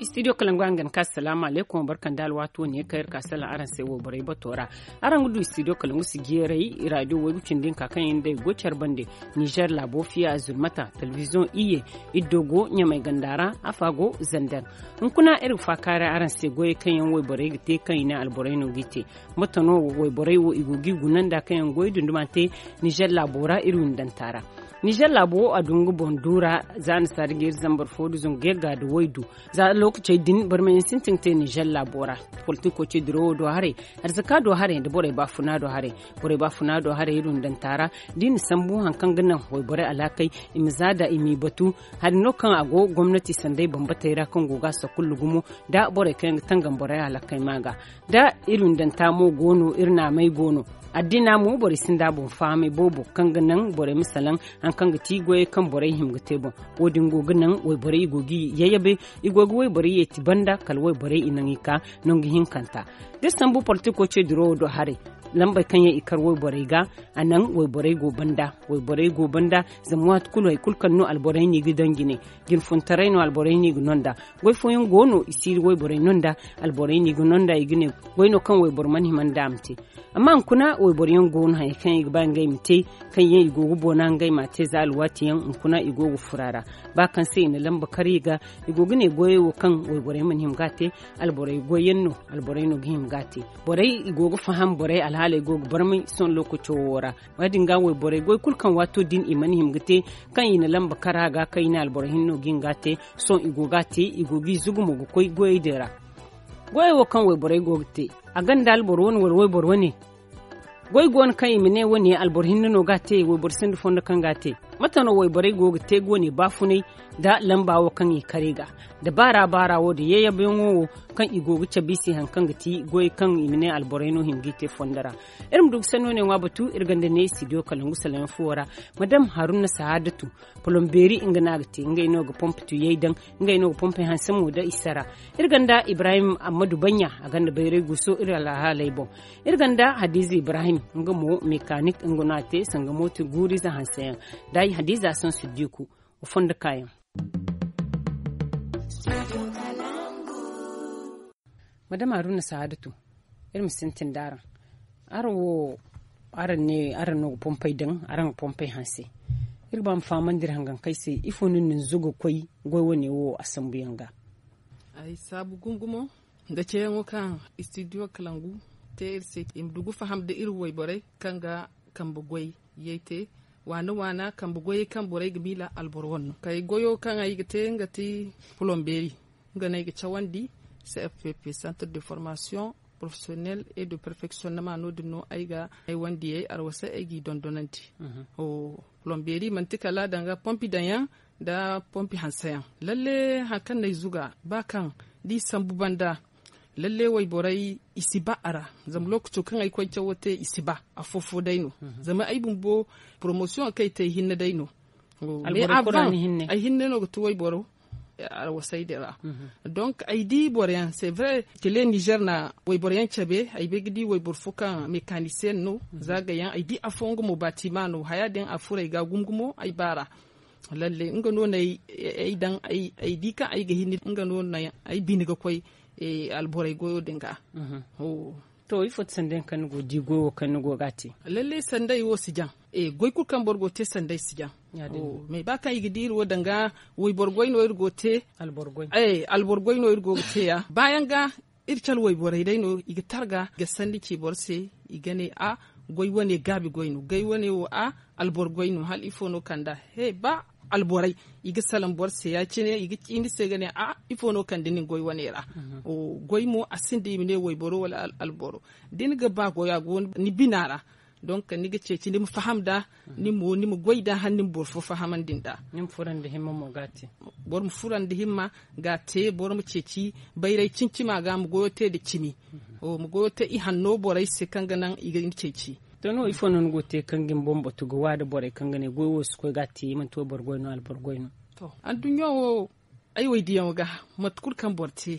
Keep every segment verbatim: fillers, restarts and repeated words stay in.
Istidiyo kalangu a ga ni ka salaamu aleykum barka nda alwaati wo ne kaŋ iri ka salaŋ araŋ se wayborey bato ra. Araŋ ga du istidiyo kalangu si jeeray raadiyo waygu cindi hinka kaŋ yaŋ day go care bande, nizer laabo fiya zulmata, telebiziyoŋ iyye, iddo go ɲamay ganda ra, afa go zander. Hunkuna iri ga faakaaray araŋ se goyey kaŋ yaŋ wayborey ga te kaŋ i ne alborey no g'i te. Mate no wayborey wo i go g'i guna nda kaŋ yaŋ goy dunduma te nizer laabo ra iri windanta ra. Nizer laabo wo a du nga boŋ duura za a na saari ga iri zambar fo da zangu yagga da waydu. Za lookacey din barmayaŋ sintin ga te nizer laabo ra. Politiko ce dirawo do haray, arzaka do haray nda borey baafuna do haray. Borey baafuna do haray iri windanta ra da i na sambu hari kaŋ ga naŋ wayborey alaakey i ma za da i m'i batu. Hari no kaŋ a go gomnati sanday bambatey ra kaŋ go ga a sakullu gumo da borey kaŋ yaŋ ga tangam borey alaakey ma ga da iri windanta mo go no iri naamey go no. Addina mo borey sinda boŋ fahamay boobo kaŋ ga naŋ borey ma salaŋ hari kaŋ ga ti goyey kaŋ borey hima ga te boŋ. Wo- din go ga naŋ wayborey i go ga i yayabe, i go ga wayborey yeeti banda kala wayborey i naŋ i ka nangu hinkanta. Da iri sambu politiko ce dirawo do haray, lambey kaŋ yaŋ i kar wayborey ga, a naŋ wayborey go banda. Wayborey go banda zama waati kulu hari kulu kaŋ no alborey no i ga daŋ jine. Jinfuntaray no alborey no i ga no nda. Goy fooyaŋ go no i si wayborey no nda. Alborey no i ga no nda i ga ne goy no kaŋ wayboro mana hima nda a ma te. Amma hunkuna wayboro yaŋ go no hari kaŋ i ga ba ngey ma te, kaŋ yaŋ i go ga boona ngey ma a te za alwaati yaŋ hunkuna i go ga furo a ra. Ba kaŋ se i na lamba kar i ga, i go ga ne goyey wo kaŋ wayborey mana hima ga a te, alborey goy yaŋ no. Alborey no ga hima ga a te. Borey i go ga faham borey alhaaley go ga barmay sohõ lookaco wo ra. Wo- din ga wayborey goy kulu kaŋ waato din i mana hima ga te, kaŋ i na lamba kar a ga kaŋ i ne alboro hinne no ga hin ga a te. Sohõ i go ga a te, i go ga i zugu mo ga koy goyey din ra. Goyey wo kaŋ wayborey go ga te, a gonda alboro wane wala wayboro wane? Goy go no kaŋ i ma ne wane alboro hinne no ga a te, wayboro sinda fondo kaŋ ga a te? Mate no wayborey go ga te ga wane baafunay nda lamba wo kaŋ i kar i ga? Da baara baara wo da yayyabayaŋo wo kaŋ i go ga cabe i se hari kaŋ ga ti goy kaŋ i ma ne alborey no hima ga i te fondo ra. Iri ma du ga sanno ne ŋwa batu iri gonda ne istidiyo kalangu salaŋ fuwo ra. Madam haruna sahaadatu, polombeeri nga no a ga te, ngey no ga pompe tuyey daŋ, ngey no ga pompe hanse mo da i sara. Iri gonda ibrahim ammadu banya, a gonda bayray guuso iri alhaaley boŋ. Iri gonda hadiza ibrahim, nga mo mekaanik nga no a te sanga mooto guuriize hanse yaŋ. Da ay hadiza saŋ siddiku, wa fondo kaayaŋ. Madam haruna sahaadatu, iri ma sintin da araŋ. Araŋ wo, araŋ ne araŋ no ga pompey daŋ, araŋ ga pompey hanse. Iri ga ba ma fahamandi iri hangankey se ifo no ni na ni zuga ga koy goy wane wo a sambuyaŋ ga? Ay saabu gumo gumo nda ceeyaŋo kaŋ istidiyo kalangu te iri se i ma du ga faham nda iri wayborey kaŋ ga kambe goy yay te, waana waana kambe goyey kaŋ borey ga miila alboro wane no kay goyo kaŋ ay ga te nga ti polombeeri. Nga no ay ga cawandi, cfpp, centre de formation professionnelle et de perfectionnement no- din no ay ga ay wandiyey arwasay ay g'i dondonandi. Polombeeri manti kala danga pompi daŋ yaŋ nda pompi hanse yaŋ. Lalle hari kaŋ no ay zuga ba kaŋ da i sambu banda, lalle wayborey i si ba a ra. Zama lookaco kaŋ ay koy cawo te i si ba afo-fo day no. Zama ay bumbo poromosiyoŋ kaŋ ay te ay hinne day no. Ay hinne no ga ti wayboro arwasay din ra. Donk ay di boro yaŋ se vre kile nizer na wayboro yaŋ cabe ay bay ga di wayboro fo kaŋ mekanisiyen no. Zaga yaŋ ay di afo nga mo batima no haya din a furo ay ga gumo gumo ay baara. Lalle nga no no ay daŋ ay di kaŋ ay ga hin nga no no ay bine ga koy alborey goyo din ga. To ifo ti sanday kaŋ ni go di goyo kaŋ ni go ga a te? Lalle sanday wo si jaŋ. Goy kulu kaŋ boro go te sanday si jaŋ. Mais ba kaŋ i ga di iri wo danga wayboro goy no iri go te. Alboro goy no iri go ga te ya baayaŋ ga. Iri cala wayborey day no i ga targa ga sanni ci boro se. I ga ne a goy wane gaabi goy no goy wane wo a alboro goy no hala ifo no kand'a? He ba alborey i ga salaŋ boro se ya- cine i ga ciini se ga ne a ifo no kande nin goy wane ra? Goy mo a sinda i ma ne wayboro wala alboro da ni ga ba goyo a go ni bina ra. Donk ni ga ceeci ni ma faham nd'a. Ni mo ni ma goy nd'a hala ni ma boro fo fahamandi nd'a. Boro ma fura nda himma ga a te boro ma ceeci bayray cimi-cima ga ma goyo te nda cimi. Ma goyo te ihanno borey se kaŋ ga naŋ i ga ni ceeci. To ni wo ifo no ni go ga te kaŋ ga ni boŋ batu ga waada borey kaŋ ga ne goy wo si koy ga a te manti wayboro goy no alboro goy no? To anduɲɲo wo ay waydiyaŋo ga mate kulu kaŋ boro te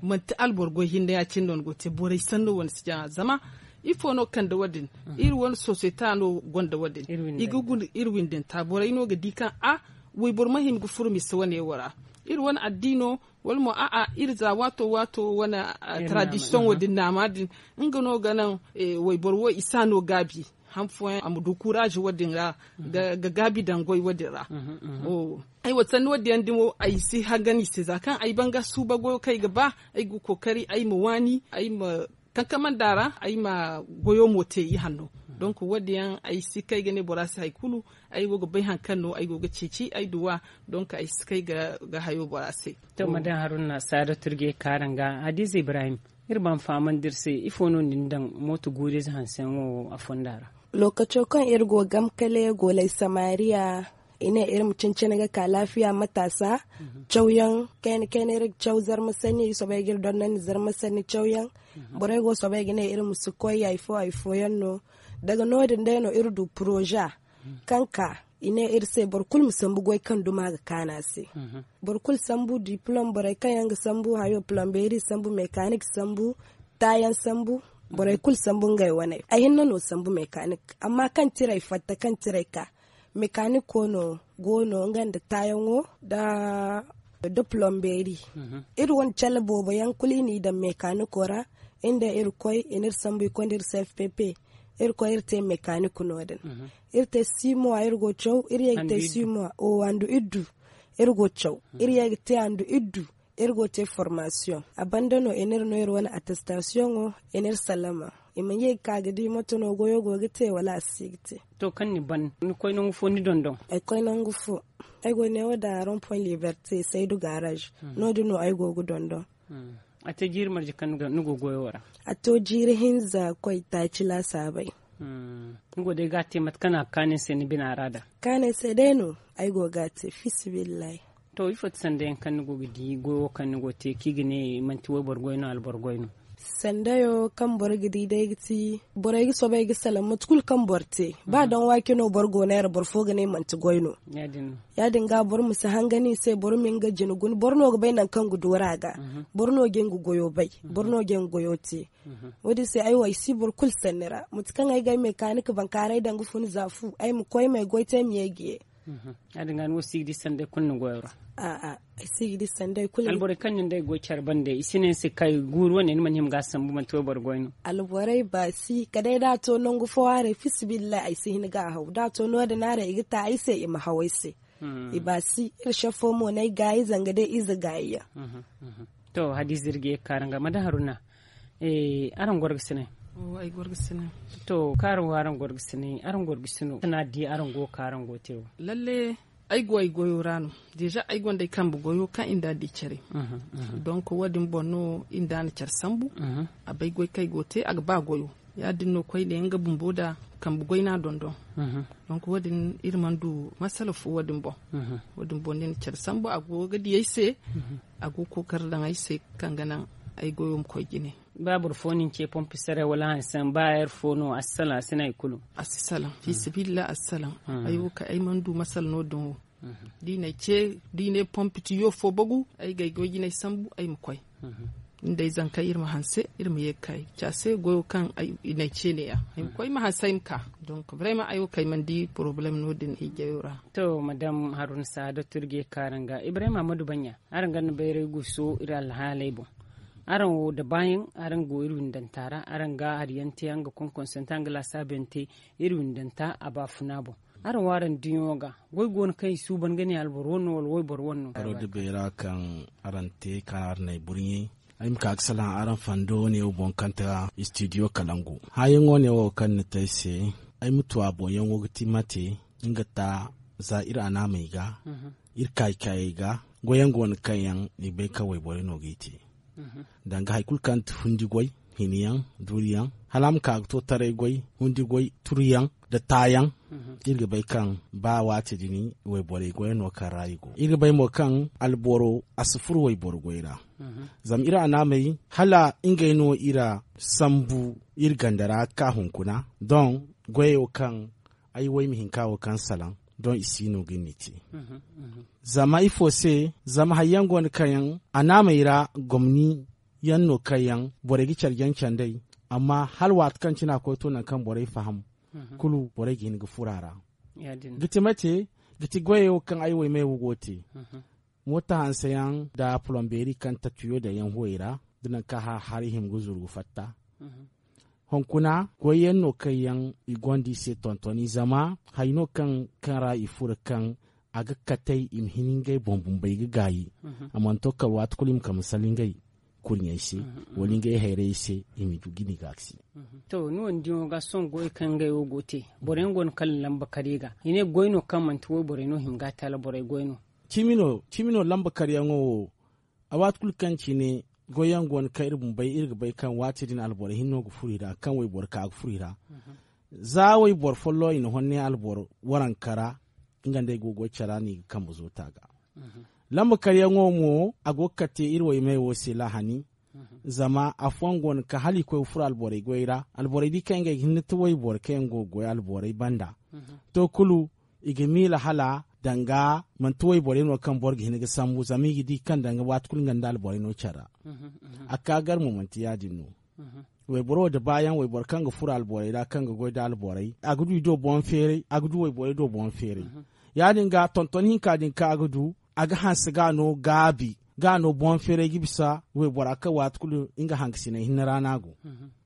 manti alboro goy hinne ya- cine no ni go ga te borey sanno wane si jaŋ a zama Ifo no ga kande wo- din? Iri wane sosiyete no gonda wo- din. I ga guna iri windanta borey no ga di kaŋ a wayboro ma hima ga furo mise wane wo ra. Iri wane addiino wala mo a'a iri za waato waato wane, tradisiyoŋo din naama din, nga no ga naŋ wayboro wo i si a no gaabi. Han fooyaŋ a ma du kuraazi wo- din ra ga gaabi daŋ goy wo- din ra. Ay wo sanni wo- din yaŋ dimo ay si hangan i se za kaŋ ay banga suuba goyo kaŋ ay ga ba, ay ga kookari ay ma waani ay ma kankamanda ra ay ma goyo mo te i hanno. Donk wo- din yaŋ ay si kay ga ne bora se hari kulu. Ay go ga bay hari kaŋ no ay go ga ceeci ay duwa. Donk ay si kay ga hayo bora se. To madam haruna saada turge kaaraŋ ga hadiza ibrahim, iri ma fahamandi iri se ifo no ni na daŋ mooto guuriize hanseyaŋo a fonda ra? Lookaco kaŋ iri go gam kale goolay samariya, i ne iri ma cincine ga ka laafiya mataasa. Cawyaŋ kayna kayna iri ga caw zarma sanni iri soobay ga iri dondon nda zarma sanni cawyaŋ. Borey go soobay ga ne iri ma si koy hari fo hari fooyaŋ no. Daga no- din day no iri du poroza kaŋ ka i ne iri se boro kulu ma sambu goy kaŋ duma ga kaanu a se. Boro kulu sambu dipilom borey kaŋ yaŋ ga sambu hayo pilombeeri sambu mekaanik sambu taayaŋ sambu. Borey kulu sambu ngey waney ay hinne no sambu mekaanik. Amma kaŋ tiray fatta kaŋ tiray ka mekaaniko no go no nga nda taayaŋo nda pilombeeri. Iri wane cale boobo yaŋ kulu i n'i daŋ mekaaniko ra. Iri nda iri koy i n'iri sambu i koy nda iri cfpp. Iri koy iri te mekaaniko no- din. Iri te six mois iri go ga caw iri ye ga te six mois o handu iddu. Iri go ga caw iri ye ga te handu iddu. Iri go ga te formasiyoŋ a banda no i n'iri no iri wane attestasiyoŋo. I n'iri sallama i ma ye ga ka ga di mate no goyo go ga te wala a si ga te. To kaŋ ni ban ni koy nangu fo ni dondon? Ay koy nangu fo. Ay go ga ne wo da ron point liberte saydu garaz. No- din no ay go ga dondon. A te jiiri marje kaŋ ni go goyo wo ra? A to jiiri hinza koy taaci laasaabey. Ni go day ga a te mate kaŋ a ga kaanu ni se ni bina ra da? Kaanu ay se day no. Ay go ga a te fisabillahi. To ifo ti sanda yaŋ kaŋ ni go ga di goyo wo kaŋ ni go ga te kaŋ i ga ne manti wayboro goy no alboro goy no? Sandayo kaŋ boro ga di day ga ti borey ga soobay ga salaŋ mate kulu kaŋ boro te ba daŋ waake no boro go neera boro fo ga ne manti goy no. Ya- din ga boro ma si hangan i se boro ma nga jina guna boro no ga bay nangu kaŋ ga doora ga. Boro no ga nga goyo bay. Boro no ga nga goyo te. Wo- din se ay wo ay si boro kulu sanni ra mate kaŋ ay ga ay mekaanik bankaaray daŋ ga fun za fu ay ma koy ma ay goy te ay ma ye ga ye. Ya- din ga ni wo si ga di sanday kulu ni goyo ra? A'a ay si ga di sanday kulu. Alborey kaŋ nin day goy care bande i si ne ni se kay guuru wane ni mana hima ga a sambu manti wayboro goy no? Alborey baasi kala day da a to nangu fo haray fisabillahi ay si hin ga a haw da a to no- din haray i ga ta ay se i ma haw ay se. I baasi iri sefo mo no ay gaayi zanga day ize gaayi yaŋ. To hadiza iri ga ye ga kaara nga mada haruna. Araŋ gorgasinay? To kaara wo araŋ gorgasinay araŋ gorgasino sanaadi araŋ go ga kaara araŋ go ga te wo? Lalle ay go ay goyo ra no. Deeza ay gonda ay kambe goyo kaŋ i nda a di care. Donk wo- din boŋ no i nda a na care sambu. A bay goy kaŋ ay go ga te a ga ba goyo. Ya- din no koyne nga bumbo nda kambe goy no a dondon. Donk wo- din iri mana du masala fo wo- din boŋ. Wo- din boŋ no i na care sambu a go ga di ay se. A go ga kookari daŋ ay se kaŋ ga naŋ ay goyo ma koy jine. Ba boro fo no ni ce pompi saray wala hanse ba heure fo no a si salaŋ a si ne hari kulu? A si salaŋ fiisabilillahi a si salaŋ. Ay wo kaŋ ay mana du masala no- din wo. Da i na ay ce da i ne pompi tiyo fo bagu ay ga ay goy jinay sambu ay ma koy. Ni da ay zankey iri ma hanse iri ma ye ga ka ay ga ci a se goyo kaŋ i na ay ce ne- ya ay ma koy ay ma hanse ay ma ka. Donk brema ay wo kaŋ ay mana di porobalem no- din ay jayo ra. To madam haruna saada turge kaŋ araŋ ga ibrahim ahmadu baɲɲa araŋ ga ni bayray guso iri alhaaley boŋ. Araŋ wo da baayaŋ araŋ go iri windanta ra araŋ ga hari yaŋ te araŋ ga konkonsante araŋ ga laasaabu yaŋ te iri windanta a baafuna boŋ. Araŋ wo araŋ diɲo ga goy go no kaŋ i suuban ga ne alboro wane no wala wayboro wane no? Boro da beera kaŋ araŋ te kaŋ araŋ n'ay burɲe ay ma ka ga salaŋ araŋ fondo wane wo boŋ kaŋ ta istidiyo kalangu hãayaŋo ne wo kaŋ ni te ay se. Ay ma tu a boŋ yaŋo ga ti mate nga ta za iri anaamey ga iri kaayi kaayey ga goyaŋ go no kaŋ yaŋ i bay kaŋ wayborey no g'i te. Danga hari kulu kaŋ ti fundi goy hini yaŋ duuri yaŋ hala a ma ka ga to taray goy hundi goy turu yaŋ nda taayaŋ. Iri ga bay kaŋ ba waati din wayborey goy no kaŋ ra i go iri ga bay mo kaŋ alboro a si furo wayboro goy ra. Zama iri anaamey hala ngey no iri sambu iri ganda ra ga ka hunkuna doŋ goyo kaŋ ay wayma hinka wo kaŋ salaŋ doŋ i si no ga ni te. Zama ifo se? Zama hari yaŋ go no kaŋ yaŋ anaamey ra gomni yaŋ no kaŋ yaŋ borey ga care jaŋ canday Amma hala waati kaŋ cine a koy to nangu kaŋ borey faham kulu borey ga hin ga furo a ra. Ga ti mate? Ga ti goyey wo kaŋ ay waymey wo go ga te. Moota hanse yaŋ nda polombeeri kaŋ tatuyo daŋ yaŋ huwey ra, da nangu kaŋ a hari hima ga zuru ga fatta. Hunkuna goy yaŋ no kaŋ yaŋ i gonda i se tontoni zama hari no kaŋ ra i furo kaŋ a ga katey i ma hin ngey boŋ bumbey ga gaayi. A mana to kala waati kulu i ma kala ma sala ngey kurɲey se wala ngey hayrayey se i ma du ga ni gaakasi. To ni wane diyaŋo ga sohõ goy kaŋ ngey wo go ga te boro yaŋ go no kala lamba kar i ga i ne goy no kaŋ manti woy borey no hima ga a te hala borey goy no. Cimi no lamba karyaŋo wo. A waati kulu kaŋ cine goy yaŋ go no kaŋ iri bumbey iri ga bay kaŋ waati din alboro hinno ga furo i ra kaŋ wayboro ka ga furo i ra. Za wayboro folloŋ i na honne alboro waranka ra nga nd'ey go ga goy care ra no i ga kambe zoota ga. Lamba karyaŋo mo a go ga kate iri waymey wo se lahani. Zama afooyaŋ go no kaŋ hala i koy ga furo alborey goy ra alborey di kaŋ ngey ga hin ga ti wayboro kaŋ yaŋ go ga goy alborey banda. To kulu i ga miila hala danga manti wayborey no kaŋ boro ga hin ga sambu zama i ga di kaŋ danga waati kulu nga nda alborey no care ra. A ka gar mo manti ya- din no. Wayboro wo da baayaŋ wayboro kaŋ ga furo alborey ra kaŋ ga goy nda alborey a ga du i do boŋ feeray a ga du wayborey do boŋ feeray. Ya- din ga tonton hinka din kaŋ a ga du a ga hanse ga no gaabi ga no boŋ feeray ga bisa waybora kaŋ waati kulu nga hangasinay hinne ra no a go.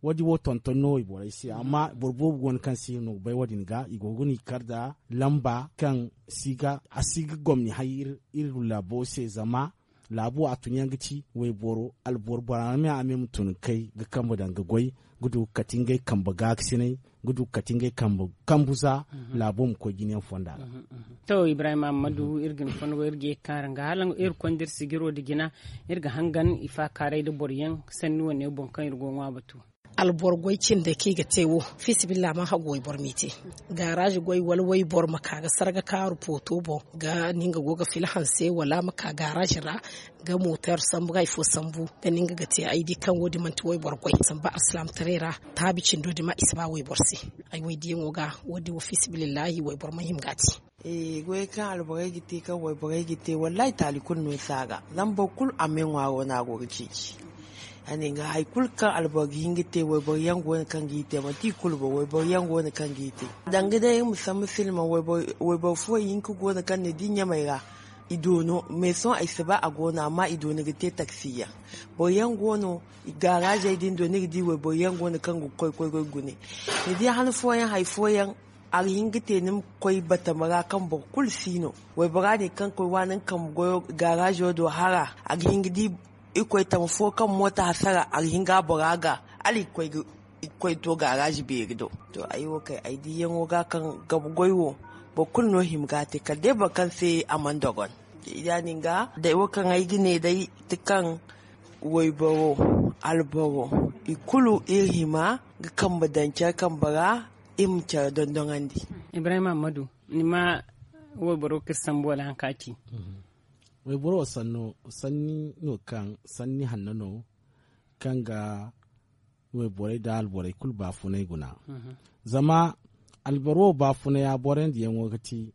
Wo- din wo tonton no wayborey se amma boro boobo go no kaŋ si no ga bay wo- din ga i go ga no i kar nda lamba kaŋ a si ga gomni hay iri laabo se zama laabo a tun yaŋ ga ci wayboro alboro bora me a me ma tun ga kay ga kambe daŋ ga goy ga du ga kate ngey kambe gaakasinay ga du ga kate ngey kambe kambu za laabo ma koy jina yaŋ fonda ra. To ibrahim ammadu iri ga ni fonda go iri ga ye ga kaara nga hala iri konda iri sijiro nda jina iri ga hangan i faakaaray nda boro yaŋ sanni wane boŋ kaŋ iri go ga ŋwa batu. Alboro goy cindey kaŋ i ga te wo fiisabilillahi ma hagu wayboro m'i te. Gaaraazi goy wala wayboro ma ka ga sarga kaaru pooto boŋ ga no nga go ga fila hanse wala ma ka gaaraazi ra ga mooteer sambu ga hari fo sambu ga no nga ga te ay di kaŋ wo- din manti wayboro goy samba alsilaamataray ra. Taabi cindo din ma i si ba wayboro se. Ay waydiyaŋo ga wo- din wo fiisabilillahi wayboro ma hima ga a te. Goyey kaŋ alborey ga te kaŋ wayborey ga te wallaahi taali kulu no si a ga zama boro kulu a me ŋwaaro no a go ga ceeci. Ya- din ga hari kulu kaŋ alboro ga hin ga te wayboro yaŋ go no kaŋ g'i te manti i kulu boŋ wayboro yaŋ go no kaŋ g'i te. Danga day iri ma sambu silma wayboro fooyaŋ hinka go no kaŋ ni di ɲamey ra i doono mais sohõ ay si ba a go no amma i doono ga te taksi yaŋ. Boro yaŋ go no gaaraazey din do ni ga di wayboro yaŋ go no kaŋ ga koy koy ga gune. Ni di han fooyaŋ hari fooyaŋ a ga hin ga te ni ma koy batama ra kaŋ boro kulu si no. Waybora din kaŋ koy waani nga kambe goyo gaaraazo do hara a ga hin ga di irkoy tama fo kaŋ moota hasara a ga hin ga a bora ga hala i ga koy to gaaraazi beeri do. To ay wo kay ay diyaŋo ga kaŋ gabu goy wo boro kulu no hima ga a te kala day boro kaŋ se a mana dogon. Ya- din ga day wo kaŋ ay ga ne day ti kaŋ wayboro alboro i kulu iri hima ga kambe daŋ care kambe ra. Iri ma care dondoŋandi. Ibrahim ammadu ni ma wayboro kaŋ iri sambu wala hari kaŋ a ci? Wayboro wo sanno sanni no kaŋ sanni hanno no kaŋ ga wayborey nda alborey kulu baafunay guna. Zama alboro wo baafunay a boroyandiyaŋo ga ti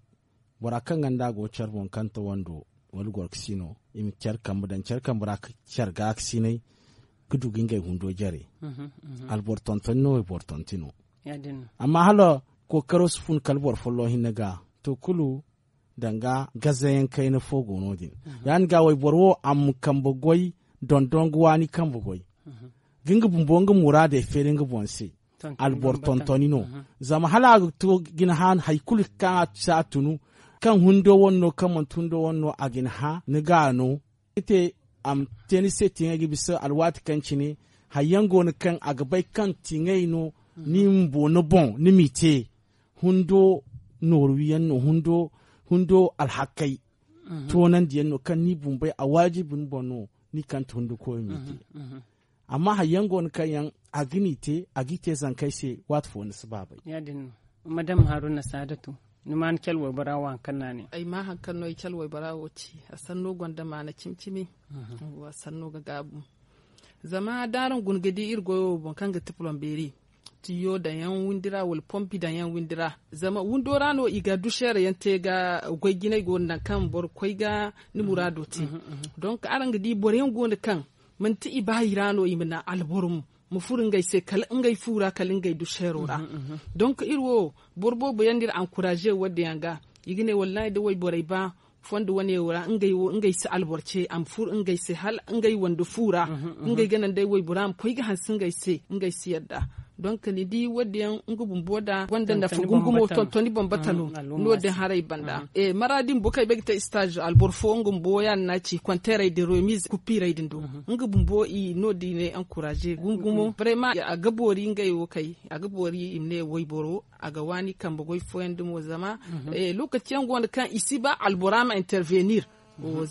bora kaŋ ga nda a go care boŋ kaŋ ta wando wala gorkasino i ma care kambe daŋ care kambe ra ka care gaakasinay ga du ga ngey hundo jare. Alboro tontoni no wayboro tonti no. Amma hala kookaro si fun kala boro folloŋ hinne ga to kulu danga gazayaŋ kayna fo go no- din. Ya- din ga wayboro wo a ma kambe goy dondon ga waani kambe goy ga nga bumbo nga muraadey feeri nga boŋ se. Alboro tontoni no zama hala a ga to ga ni hã hari kulu kaŋ a si a tunu kaŋ hundo wane no kaŋ manti hundo wane no a ga ni hã ni ga a no. Ga te a ma te ni se tiŋay ga bisa alwaati kaŋ cine hari yaŋ go no kaŋ a ga bay kaŋ tiŋay no ni bumbo ni boŋ ni m'i te. Hundo nooru wiyaŋ no hundo alhakey toonandiyaŋ no kaŋ ni bumbey a waajibi ni boŋ no ni kaŋ ti hundo koyo m'i te. Amma hari yaŋ go no kaŋ yaŋ a ga ni te a g'i te zankey se waati fo ni si ba bay. Ya- din no madam haruna saadatu ni ma ni cale waybora wo hari kaŋ no a ne? Ay ma hari kaŋ no ay cale waybora wo ci a sanno gonda maana cimi cimi. A sanno ga gaabu. Zama da araŋ guna ga di iri goyo wo boŋ kaŋ ga ti polombeeri tiyo daŋ yaŋ windi ra wala pompi daŋ yaŋ windi ra. Zama windo ra no i ga duseere yaŋ te ga goy jinay go no naŋ kaŋ boro koy ga ni muraado te. Donk araŋ ga di boro yaŋ go no kaŋ manti i baayi ra no i ma naŋ alboro mo ma furo ngey se kala ngey fu ra kala ngey du seero ra. Donk iri wo boro boobo yaŋ no iri ankuraaze wo- din yaŋ ga. I ga ne wallahi da wayborey ba fondo wane wo ra ngey si alboro ce a ma furo ngey se hala ngey wande fu ra. Ngey ga naŋ day waybora ma koy ga hanse ngey se ngey si yadda. Donk ni di wo- din yaŋ nga bumbo da gonda nafa gungumo tontoni bambata no. No- din haray banda mara din boro kaŋ ay bay ga te istaazo alboro fo nga bumbo ya- din no a ci konteerey din remiize kupiirey din do. Nga bumbo i no- din i ne ankuraaze gungumo brema a ga boori ngey wo kay a ga boori i ma ne wayboro a ga waani kambe goy fooyaŋ dumo zama lookaci yaŋ go no kaŋ i si ba albora ma intervenir.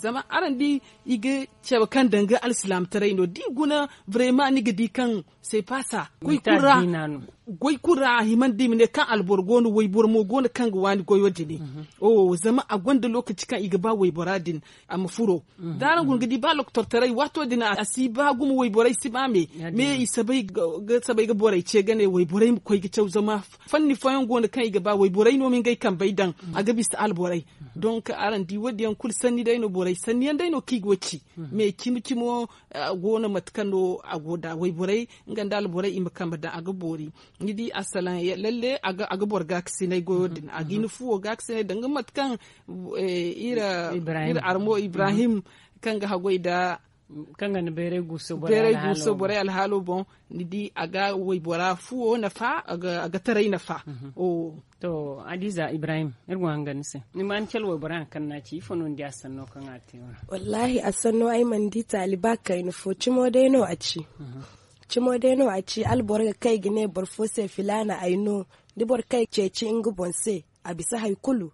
Zama araŋ di i ga cabe kaŋ danga alsilaamataray no da i guna brema ni ga di kaŋ se paasa goy kulu ra a himandi i ma ne kaŋ alboro go no wayboro mo go no kaŋ ga waani goyo din. Zama a gonda lookaci kaŋ i ga ba waybora din a ma furo da araŋ guna ga di ba lokotortaray waato din a si ba gumo wayborey si ba me. Me i sabay ga borey ce ga ne wayborey ma koy ga caw zama fanni fooyaŋ go no kaŋ i ga ba wayborey no ma ngey kambey daŋ a ga bisa alborey. Donk araŋ di wo- din yaŋ kulu sanni day no borey sanni yaŋ day no kaŋ i go ga ci. Me cimi cimo go no mate kaŋ no a go nd'a wayborey nga nda alborey i ma kambe daŋ a ga boori. Ni di assalaŋ lalle a ga boro gaakasinay goyo din a ga hin fuwo gaakasinay danga mate kaŋ iri armo ibrahim kaŋ ga haggoy nda kaŋ ga ni bayray guuso borey alhaalo boŋ. Ni di a ga waybora fuwo nafa a ga taray nafa. To hadiza ibrahim iri go hanga ni se ni ma ni cala waybora hari kaŋ no a ci ifo no ni di a sanno kaŋ a te wara? Wallaahi a sanno ay mana di taali ba kayna fo cimo day no a ci. Cimo day no a ci alboro ga kay ga ne boro fo se filaana ay no. Da boro kay ceeci nga boŋ se a bisa hari kulu.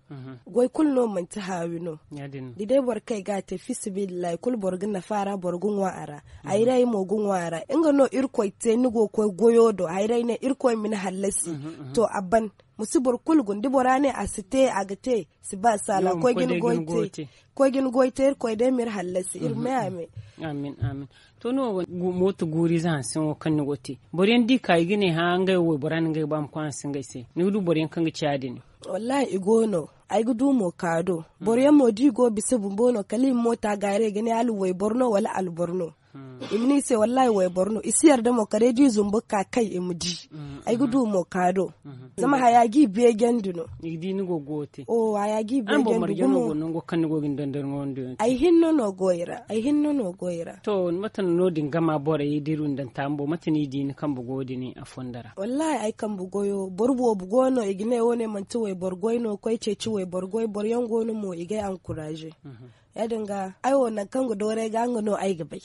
Goy kulu no manti haawi no. Da day boro kay ga a te fiisabilillahi kulu boro ga nafa a ra boro ga ŋwa a ra. Hayray mo ga ŋwa a ra nga no irkoy te ni go ga koy goyo do hayray ne irkoy ma ni hallasi. To a ban. Ma si boro kulu guna da bora ne a si te a ga te si ba saala koy ga ni goy te. Koy ga ni goy te irkoy day ma iri hallasi iri me a me. Amin amin. To ni wo mooto guuriize hanse wo kaŋ ni go ga te boro yaŋ da i ka i ga ne hã ngey wo waybora no ngey ga ba ma koy hanse ngey se ni ga du boro yaŋ kaŋ ga ci ya- din. Wallaahi i go no. Ay ga du mo ka do boro yaŋ mo da i go ga bisa bumbo no kala i ma moota gaaray ga ne hala wayboro no wala alboro no. I ma ne i se wallaahi wayboro no i si yarda mo kala day da i zumbu ga ka kay i ma di. Ay ga du mo ka do. Zama haya ga i beejandi no. I ga di ni go ga wo te. Haya ga i beejandi gumo. Ay hinne no go i ra ay hinne no go i ra. To mate no no- din gama borey da iri windanta bumbo mate no i di ni kambe goyo din a fondo ra? Wallaahi ay kambe goyo boro boobo go no i ga ne wo- ne manti wayboro goy no koy ceeci wayboro goy boro yaŋ go no mo i ga ay ankuraaze. Ya- din ga ay wo nangu kaŋ ga dooru ay ga nga no ay ga bay.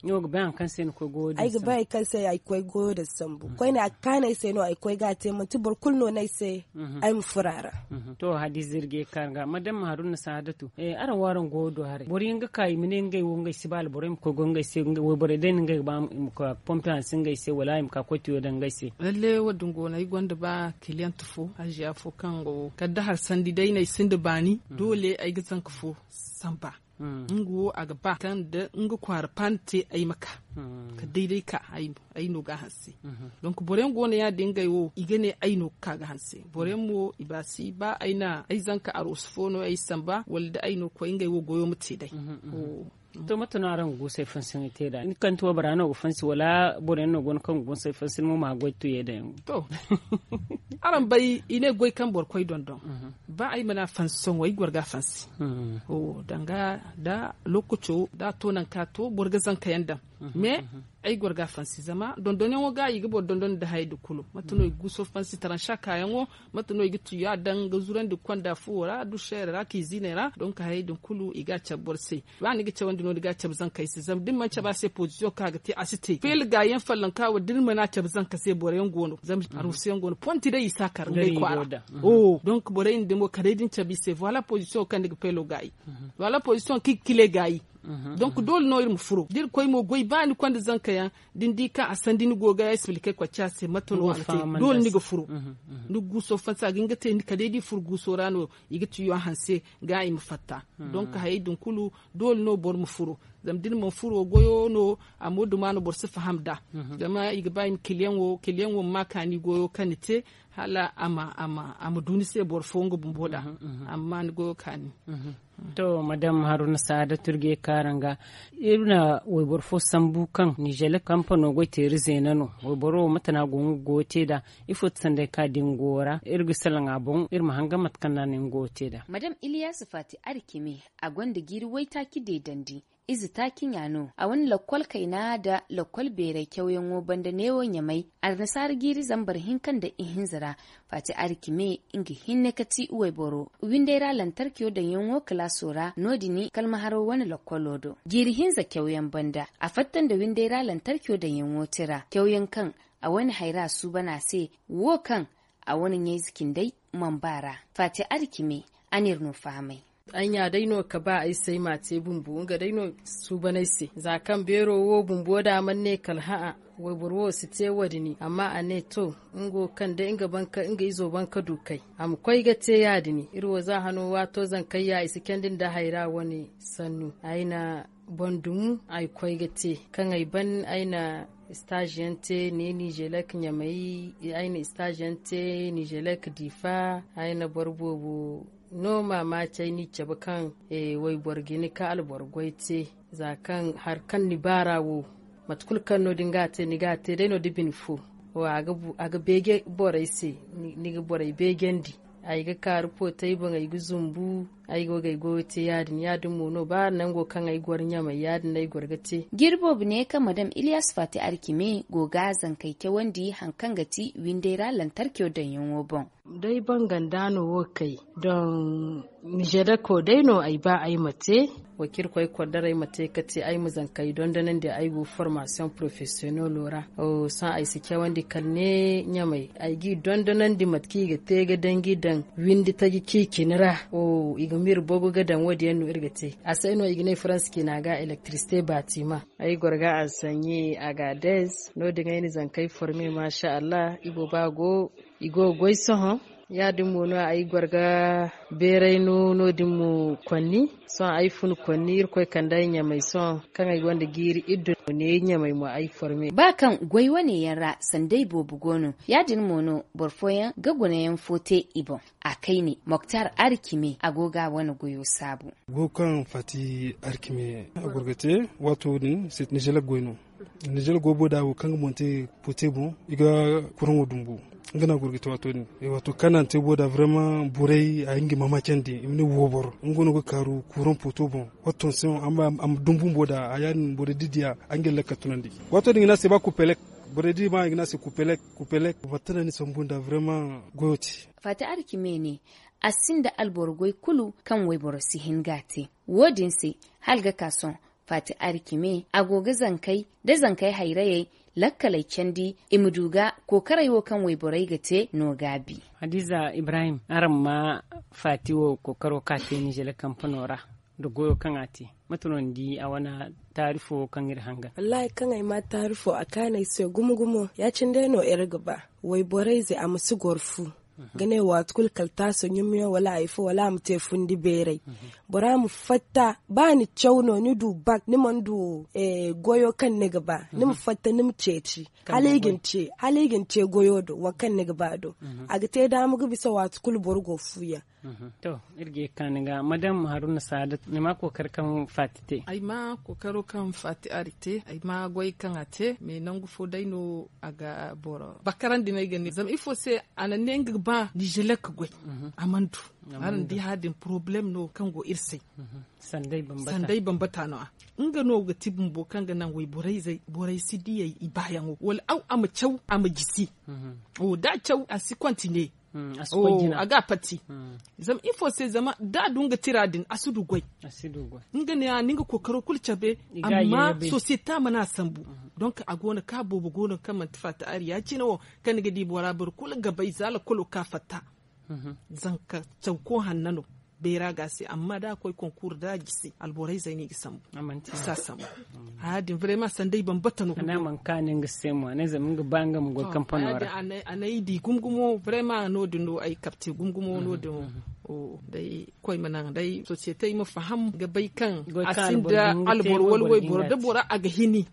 Ni wo ga bay hari kaŋ se ni koy goyo din ay ga bay hari kaŋ se ay ga koy goyo din sambu koyne a ga kaanu ay se no ay ga koy ga a te manti boro kulu no no ay se. Ay ma furo a ra. To hadiza iri ga ye ga kaanu ga madam haruna sahaadatu araŋ wo araŋ goyo do haray boro yaŋ ga ka i ma ne ngey wo ngey si ba alborey ma koy goy ngey se wayborey day no ngey ga ba i ma ka pompe hanse ngey se wala i ma ka koy tiyo daŋ ngey se. Lalle wo- din go no ay gonda ba kiliyante fo haziya fo kaŋ go kala da hari sandi day no ay sinda baani doole ay ga zanka fo samba. Nga wo a ga ba kaŋ da nga kwaara paani te ay ma ka kala day day ka ay no ga a hanse. Donk boro yaŋ go no ya- din ngey wo i ga ne ay no ga ka ga hanse boro yaŋ mo i ba si ba ay na ay zanka aroosu fo no ay samba wala da ay no ga koy ngey wo goyo ma te day. To mate no araŋ ga guusay fansi ni te nd'a ni kante waybora no ga fansi wala boro yaŋ no go no kaŋ ga guusay fansi ni mo ma goy tuyey daŋ yaŋ? To araŋ bay i ne goy kaŋ boro koy dondon. Ba ay mana fansi sohõ ay ga war ga a fansi. Danga da lookaco da a to nangu kaŋ a to boro ga zanka yaŋ daŋ. Mais ay ga war ga a fansi zama dondonyaŋo ga i ga boro dondon nda hayey din kulu mate no i ga guuso fansi taransa kaayaŋo mate no i ga tuya daŋ ga zurandi ga konda fuwo ra duseere ra kiiziiney ra donk hayey din kulu i ga a cabe boro se. Ba ni ga cawandi no ni ga a cabe zankey se zama da ni mana cabe a se pozisiyoŋ kaŋ a ga te a si te feela gaayi yaŋ follonka wo da ni mana cabe zanka se boro yaŋ go no zama aruusu yaŋ go no ponti day i si a kar ngey kwaara. Donk borey din mo kala day da ni cabe i se voila pozisiyoŋ kaŋ ni ga feelo gaayi. Voila pozisiyoŋ kaŋ i ga kile gaayi. Donk doole no iri ma furo da iri koy mo goy ba ni konda zanka yaŋ da ni di kaŋ a sandi ni go ga expliquer kwaci a se mate no a ga te. Doole ni ga furo ni ga guuso fansa ga hin ga te ni kala day da i furo guuso ra no i ga tiyo a hanse ga i ma fatta. Donk hayey din kulu doole no boro ma furo. Zama da ni mana furo goyo no a ma duma no boro si faham nd'a. Zama i ga ba i ma kiliyaŋo kiliyaŋo ma ma kaani goyo kaŋ ni te hala a ma du ni se boro fo nga bumbo nd'a. A ma ma ni goyo kaani. To madam haruna saada turge kaaranga, iri na wayboro fo sambu kaŋ nizeelek kampano goy teeri zeena no. Wayboro wo mate no a go nga goyo te nd'a? Ifo ti sanday kaŋ a di nga goyo ra iri ga salaŋ a boŋ iri ma hangan mate kaŋ no a na nga goyo te nd'a. Madam iliyaasi faati arikime, a gonda jiiri waytaaci deedandi. Ize taaci ɲa no a wane lakkol kayna nda lakkol beeray cawyaŋo banda neewo ɲamay. Annasaara jiiri zambar hinka nda ihinza ra. Faati arikime, nga hinne ka ti wayboro winday ra lantarkiyo daŋyaŋo kalaaso ra no- din kalmaharo wane lakkolo do. Jiiri hinza cawyaŋ banda a fatta nda winday ra lantarkiyo daŋyaŋo tira cawyaŋ kaŋ a wane hayra suuban a se. Wo kaŋ a wane ɲayze cindey mana ba ra. Faati arikime, a n'iri no fahamay. Ay ɲa day no ka ba ay se ay m'a te bumbo nga day no suuban ay se za kaŋ beero wo bumbo da a mana ne kala hã'a. Wayboro wo si te wo- din amma a ne to, nga wo kaŋ day nga izo ban ka du kay a ma koy ga te ya- din. Iri wo za hano waato zankayya i si candi nda hayra wane sannu ay na boŋ dumu ay koy ga te kaŋ ay ban ay na istaazi yaŋ te ne nizeelek ɲamay. Ay na istaazi yaŋ te nizeelek diifa. Ay na boro boobo no maamaaci ay n'i cabe kaŋ wayboro ga ni ka alboro goy te. Za kaŋ hari kaŋ ni baara wo mate kulu kaŋ no- din ga a te ni ga a te day no da bine fo. A ga beeje borey se. Ni ga borey beejandi. Ay ga kaaru pootey boŋ ay ga zumbu. Ay go ga ay goyo te ya- din ya- din mo no ba nango kaŋ ay goro ɲamay ya- din no ay goro ga te. Jiiri boobo ne kaŋ madam iliyas faati arcime go ga zankey cawandi hari kaŋ ga ti winday ra lantarco daŋyaŋo boŋ. Day banganda no wo kay doŋ nizeedako day no ay ba ay ma te. Wa ci irkoy kordara ay ma te ka te ay ma zankey dondonandi ay go formaasiyoŋ porofesiyonelo ra. Sohõ ay si cawandi kala ne ɲamay ay g'i dondonandi mate kaŋ i ga te ga daŋ g'i daŋ windi taji ciicini ra. I ga ma iri bogu ga daŋ wo- din yaŋ no iri ga te. A se no i ga ne faransa ciina ga elektirisite baatima. Ay goro ga ansaɲe agaadez no- din ay na zankey forme maasa allah i booba go. I go ga goy sohõ ya- din mo no ay goro ga beeray no no- din mo konni. Sohõ ay fun konni irkoy kande ay ɲamay sohõ kaŋ ay gonda jiiri iddu no ne ɲamay mo ay forme. Ba kaŋ goy wane yaŋ ra sanday boobo go no ya- din mo no boro fooyaŋ ga gunayaŋ fo te i boŋ. A kayne moktar arcime a go ga a wane goyo saabu. Goyo kaŋ faati arcime a goro ga te waato din se nizeelek goy no. Nizeelek goy booda wo kaŋ ga monte pote boŋ i ga kuraŋo dumbu. Nga no a goro ga te waato din. Waato kaŋ no a na te booda vraiment borey a hin ga i maamaacandi i ma ne wooboro nga no ga kaaru kuraŋ poto boŋ. Watton se a ma dumbu booda a ya- din borey da i diya a nga i lakka tunandi. Waato din i ga ne a se ba kupelek. Borey da i ma i ga ne a se kupelek. Kupelek batta no a ni sambu nda vraiment goyo te. Faati arcime ne a sinda alboro goy kulu kaŋ wayboro si hin ga a te. Wo- din se hala ga ka sohõ faati arcime a go ga zankey da zankey hayrayey lakkaley candi i ma du ga kookaray wo kaŋ wayborey ga te no gaabi. Hadiza ibrahim araŋ ma faati wo kookaro kaŋ a te nizeele kampano ra nda goyo kaŋ a te mate no ni di a wane taarifo wo kaŋ iri hangan? Wallaahi kaŋ ay ma taarifo a kaanu ay se gumo gumo ya- cine day no iri ga ba wayborey ze a ma si goro fu ga ne waati kulu kala taaso ɲumiyaŋ wala hari fo wala a ma te fundi beeray. Bora ma fatta ba ni caw no ni du bak ni mana du goyo kaŋ ni ga ba ni ma fatta ni ma ceeci hala i ga ni ce goyo do waŋ kaŋ ni ga ba do. A ga te daama ga bisa waati kulu boro go fuuyaŋ. To iri ga ye ga kaanu ga madam haruna saadat ni ma kookari kaŋ faati te? Ay ma kookaro kaŋ faati ari te ay ma goy kaŋ a te mais nangu fo day no a ga boro bakarandi no ay ga ne zama ifo se a na ne nga ga ba nizeelek goy. A mana du. Araŋ di hari din porobalem no kaŋ go iri se. Sanday bambata no a nga no ga ti bumbo kaŋ ga naŋ wayborey zey borey si diyey i baayaŋo wala aw a ma caw a ma jisi. Da a caw a si kontine. A ga a pati. Zama ifo se zama da a du nga tira din a si du goy. Nga ne a ni nga kookaro kulu cabe amma sosiyete mana a sambu. Donk a go no kaŋ a boobo go no kaŋ manti faata ari ya- cine wo kaŋ ni ga di bora boro kulu ga bay za lakkolo ka fatta. Zanka cawko hanna no beera ga a se amma da a koy konkuur da a jisi alborey zey no i ga sambu. I si a sambu. Haya din vrema sanday bambata no. Ana man kaani nga se mo a ne zama nga ba nga ma goy kampano ra. A n'ay di gumo gumo vrema no- din no ay kapte gumo gumo no- din. Day koy ma naŋ day sosiyete ay ma faham ga bay kaŋ a sinda alboro wala wayboro da bora a ga hini.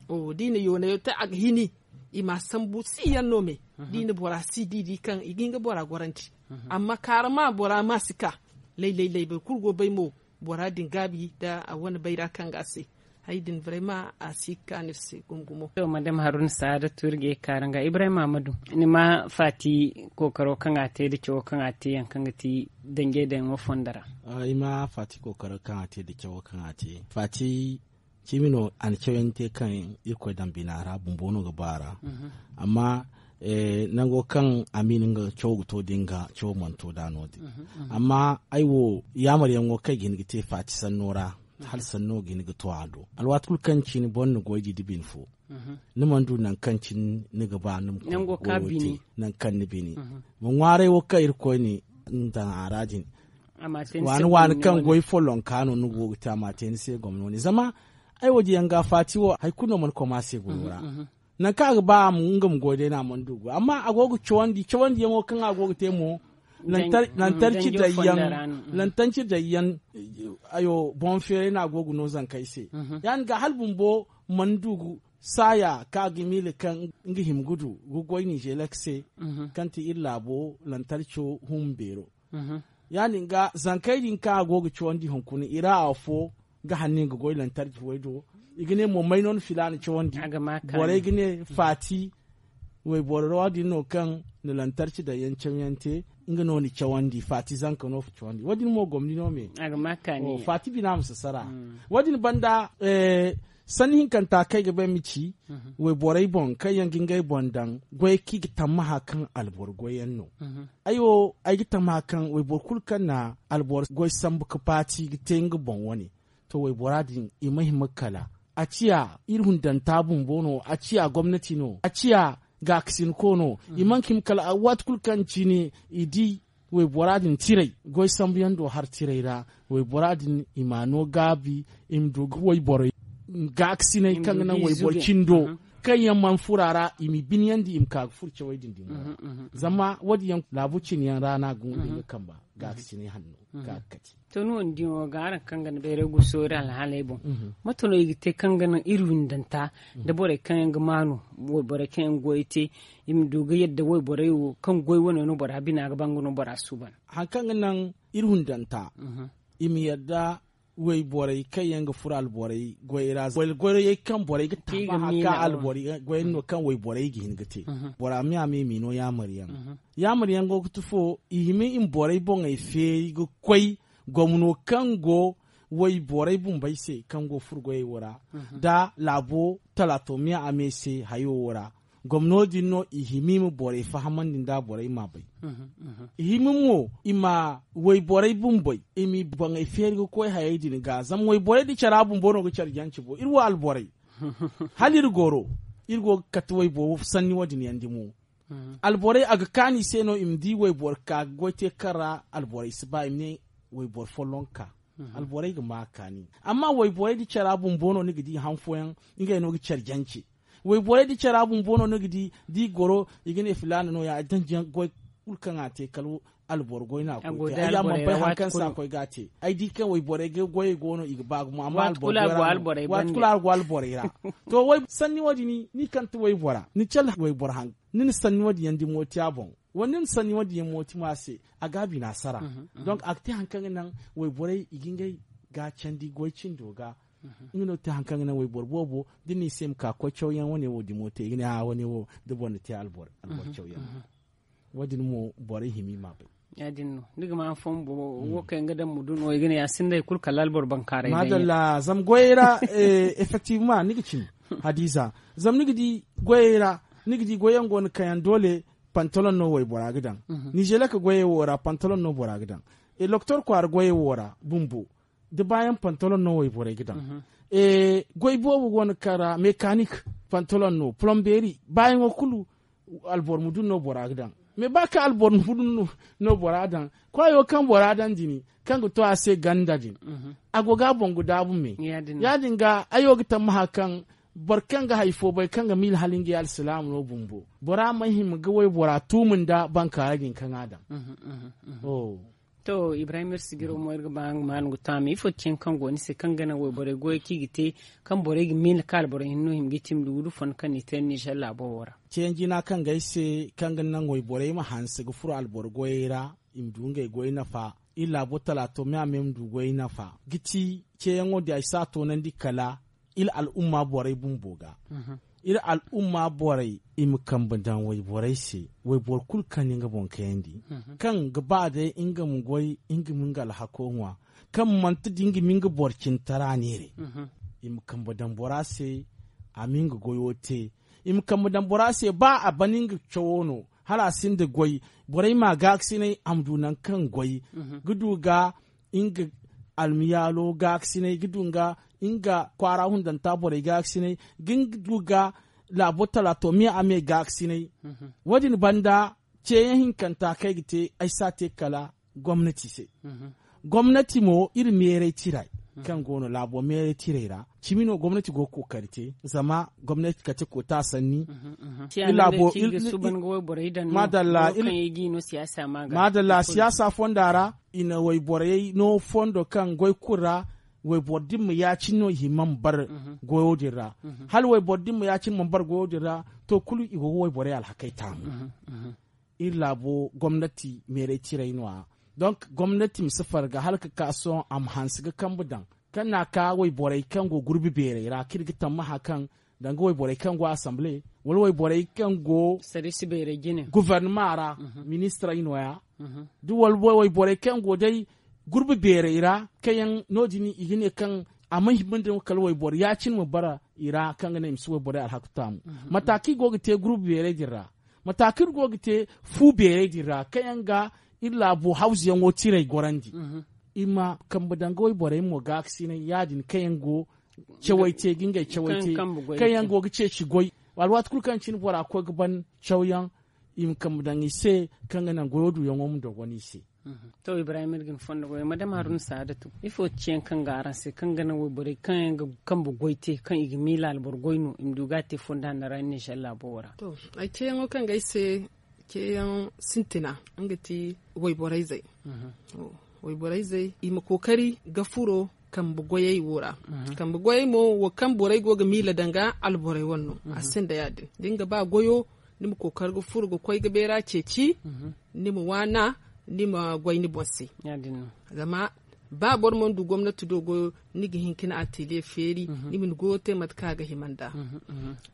Da i na yoonayo te a ga hini. I ma a sambu si yaŋ no me da i na bora si di di kaŋ i ga hin ga bora gorandi. Amma kaarama bora ma si ka laylay laybay kulu go bay mo. Bora din gaabi nda a wane bayra kaŋ ga a se. Hari din barayma a si ga kaanu iri se gumo-gumo. To madam haruna saada tuuri ga ye ga kaaru nga ibrahim amadu, ni ma faati kookaro kaŋ a te nda cawo kaŋ a te yaŋ kaŋ ga ti danjey daŋ wo fondo ra? Ay ma faati kookaro kaŋ a te nda cawo kaŋ a te faati. Ciimi no a na cawyaŋ te kaŋ irkoy daŋ bina ra bumbo no ga ba a ra. Amma nango kaŋ a miila nga cawo ga to din ga cawo mana to nd'a no- din. Amma ay wo yaamaryaŋo kaŋ ay ga hin ga te faati sanno ra, hala sanno ga hin ga to a do. Alwaati kulu kaŋ cine boro na goy di nda bine fo, ni mana du nangu kaŋ cine ni ga ba ni ma koy ga goyo te nangu kaŋ ni bine. Ma ŋwaaray wo kaŋ irkoy ne ni daŋ a ra din, waani waani kaŋ goy follonka no ni go ga te a ma te ni se gomno ne zama ay wo diyaŋ ga faati wo hari kulu no mana koma se goyo ra. Nangu kaŋ a ga ba a ma nga ma goy day no a mana du goy amma a go ga cawandi cawandiyaŋo kaŋ a go ga te mo. Lantarci daŋ yaŋ lantarci daŋ yaŋ ayo boŋ feeray no a go ga no zankey se. Ya- din ga hala bumbo mana du saaya kaŋ a ga miila kaŋ nga hima ga du ga goy ninzeelek se, kaŋ ti iri laabo lantarco humma beero. Ya- din ga zankey din kaŋ a go ga cawandi hunkuna i ra afo ga hanno i ga goy lantarci way do. I ga ne mo may no ni filaana cawandi? Borey ga ne faati wayboro ra wo- din no kaŋ na lantarci daŋ yaŋ cawyaŋ te, nga no ni cawandi faati zanka no cawandi wo- din mo gomni no me. Faati bina ma sasara. Wo- din banda sanni hinkanta kaŋ ay ga ba ay ma ci wayborey boŋ kaŋ yaŋ ga ngey boŋ daŋ goy kaŋ i ga tammaha kaŋ alboro goy yaŋ no. Ay wo ay ga tammaha kaŋ wayboro kulu kaŋ na alboro goy sambu ga paati ga te nga boŋ wane, to waybora din i ma hima ga kala a ciya iri hundanta bumbo no a ciya gomnati no a ciya gaakasinko no. I mana ka hima kala waati kulu kaŋ cine i di waybora din tiray goy sambu yaŋ do har tiray ra. Waybora din i ma a no gaabi i ma du ga wayborey gaakasinay kaŋ ga naŋ wayboro cindo kaŋ yaŋ mana furo a ra i m'i biniyandi i ma ka ga furo cawey din din boŋ. Zama wo- din yaŋ laabu cine yaŋ ra no a ga hunday ga kamba gaakasinay hanno ga ga kate. To ni wo ni di wo ga araŋ kaŋ ga ni bayray guso iri alhaaley boŋ, mate no i ga te kaŋ ga naŋ iri windanta nda borey kaŋ yaŋ ga maanu wayborey kaŋ yaŋ ga goyey te, i ma du ga yadda wayborey wo kaŋ goy wane no bora bina ga ba nga no bora suuban. Hari kaŋ ga naŋ iri windanta i ma yadda wayborey kaŋ yaŋ ga furo alborey goyey ra wala goyey kaŋ borey ga taaba hari kaŋ alborey goyey no kaŋ wayborey ga hin ga te. Bora me a me i m'i no yaamar yaŋ. Yaamar yaŋ go ga ti fo i hima i ma borey boŋey feeri ga koy gomno kaŋ go wayborey bumbey se kaŋ go furo goyey wo ra nda laabo talato me a me se hayo wo ra. Gomno din no i hima i ma borey fahamandi nda borey m'a bay. I hima mo i ma wayborey bumbey i m'i boŋey feeri ga koy hayey din ga zama wayborey da care bumbo no ga care jance bo iri wo alborey. Hala iri goro iri go ga kate wayboro sanni wo- din yaŋ dimo. Alborey a ga kaanu i se no i ma di wayboro ka ga goy te kaŋ ra alborey si ba i ma ne wayboro folloŋ ka. Alborey ga ma a kaani amma wayborey da care bumbo no ni ga di han fooyaŋ ngey no ga care jance. Wayborey da care bumbo no ni ga di da i goro i ga ne filaana no- ya ay daŋ goy kulu kaŋ a te kala alboro goy no a koy te ay ya mana bay hari kaŋ se a koy ga a te. Ay di kaŋ wayborey ga goyey go no i ga ba gumo amma alboro goy ra no waati kulu a go alborey ra. To sanni wo- din ni kaŋ ti waybora ni care wayboro haŋ ni na sanni wo- din yaŋ dimo te a boŋ wala ni na sanni wo- din yaŋ mo te mo a se a ga a bina sara. Donk a ga te hari kaŋ ga naŋ wayborey i ga ngey ga candi goy cindo ga. Nga no ga te hari kaŋ ga naŋ wayboro boobo da ni ne i se i ma ka koy cawyaŋ wane wo dimo te i ga ne a wane wo da boro na te alboro cawyaŋ. Wo- din mo borey hima i m'a bay. Ya- din no ni ga ma han fooyaŋ bumbo wo kaŋ yaŋ ga daŋ ma du no i ga ne a sinda hari kulu kala alboro bankaaray daŋ yaŋ. Madalla zama goyey ra effectivement ni ga cimi hadiza. Zama ni ga di goyey ra ni ga di goy yaŋ go no kaŋ yaŋ doole pantalon no waybora ga daŋ. Nizelek goyey wo ra pantalon no bora ga daŋ. Doktor kwaara goyey wo ra bumbo da baayaŋ pantalon no wayborey ga daŋ. Goy boobo go no kaŋ ra mekanik pantalon no polomberi baayaŋo kulu alboro mudu no bora ga daŋ. Mais ba kaŋ alboro mudu no bora daŋ kwaayo kaŋ bora daŋ din kaŋ ga to a se ganda din a go ga a boŋ ga daabu me. Ya- din ga ay wo ga tammaha kaŋ boro kaŋ ga hari fo bay kaŋ ga miila hala ngey alsilaama no bumbo bora mana hima ga waybora tuumu nda bankaaray din kaŋ a daŋ. To ibrahim iri sijiro mo iri ga ba nga ma no ga taami ifo ti yaŋ kaŋ go ni se kaŋ ga naŋ wayborey goyey kaŋ i ga te kaŋ borey ga miila kaŋ alboro hinne no hima ga i cimi da wudu fondo kaŋ no i te nizer laabo wo ra? Ceeyaŋ jina kaŋ ga ay se kaŋ ga naŋ wayborey ma hanse ga furo alboro goyey ra. i ma du ngey goy nafa. Iri laabo talaato me a me ma du goy nafa ga ti ceeyaŋo din ay si a toonandi kala iri al'umma borey bumbo ga. Iri al'umma borey i ma kambe daŋ wayborey se, wayboro kulu kaŋ ni nga boŋ kayandi, kaŋ ga ba day nga ma goy, nga ma nga alhako ŋwa, kaŋ manti da nga ma nga boro cintara neeray. I ma kambe daŋ bora se, a ma nga goyo te. I ma kambe daŋ bora se ba a ban nga cawo no, hala a sinda goy, borey ma gaakasinay a ma du nangu kaŋ goy ga du ga nga almiyaalo gaakasinay ga du nga nga kwaara hundanta borey gaakasinay ga nga du ga laabo talaato me a me gaakasinay. Wo- din banda, ceeyaŋ hinkanta kaŋ ay ga te ay si a te kala gomnati se. Gomnati mo iri meeray tiray kaŋ go no laabo meeray tiray ra, cimi no gomnati go ga kookari te zama gomnati kate koota sanni. Madalla, siyaasa fonda ra i na wayborey no fondo kaŋ goy kulu ra, wayboro din ma ya- cine no i hima ma bar goyo din ra. Hala wayboro din ma ya- cine ma bar goyo din ra, to kulu i go ga wayborey alhakey taamu. Iri laabo gomnati meeray tiray no- ya. Donk gomnati ma si farga hala ga ka sohõ a ma hanse ga kambe daŋ kaŋ no- ya ka wayborey kaŋ go gurbi beeray ra kaŋ iri ga tammaha kaŋ danga wayborey kaŋ go asamble, wala wayborey kaŋ go guvernama ra, ministirey no- ya. Da wala wayborey kaŋ go day gurbi beeray ra kaŋ yaŋ no- din i ga ne kaŋ a ma hima nda kala wayboro ya- cine ma bara i ra kaŋ ga naŋ i ma si wayborey alhaku taamu. Mata kaŋ i go ga te gurbi beeray din ra, mata kaŋ iri go ga te fu beeray din ra kaŋ yaŋ ga iri laabo hawzuyaŋo tiray gorandi, i ma kambe danga wayborey mo gaakasinay ya- din kaŋ yaŋ go cawey te ga ngey cawey te, kaŋ yaŋ go ga ceeci goy. Alwaati kulu kaŋ cine bora koy ga ban cawyaŋ, i ma kambe daŋ i se kaŋ ga naŋ goyo duyaŋo ma dogon i se. To ibrahim iri ga ni fondo goy madama haruna saadatu ifo ti ceeyaŋ kaŋ ga araŋ se kaŋ ga naŋ wayborey kaŋ yaŋ ga kambe goy te kaŋ i ga miila alboro goy no i ma du ga a te fondo hanno ra iri ne salla bowo ra. To, ay ceeyaŋo kaŋ ga ay se ceeyaŋ sintina nga ti wayborey zey. Wayborey zey i ma kookari ga furo kambe goyey wo ra. Kambe goyey mo wo kaŋ borey go ga miila danga alborey wane no a sinda ya- din da ni ga ba goyo, ni ma kookari ga furo ga koy ga beera ceeci, ni ma waana, ni ma goy ni boŋ se. Zama ba boro mana du gomnati do goyo, ni ga hin ka ni ateliye feeri, ni ma ni goyo te mate kaŋ a ga hima nd'a.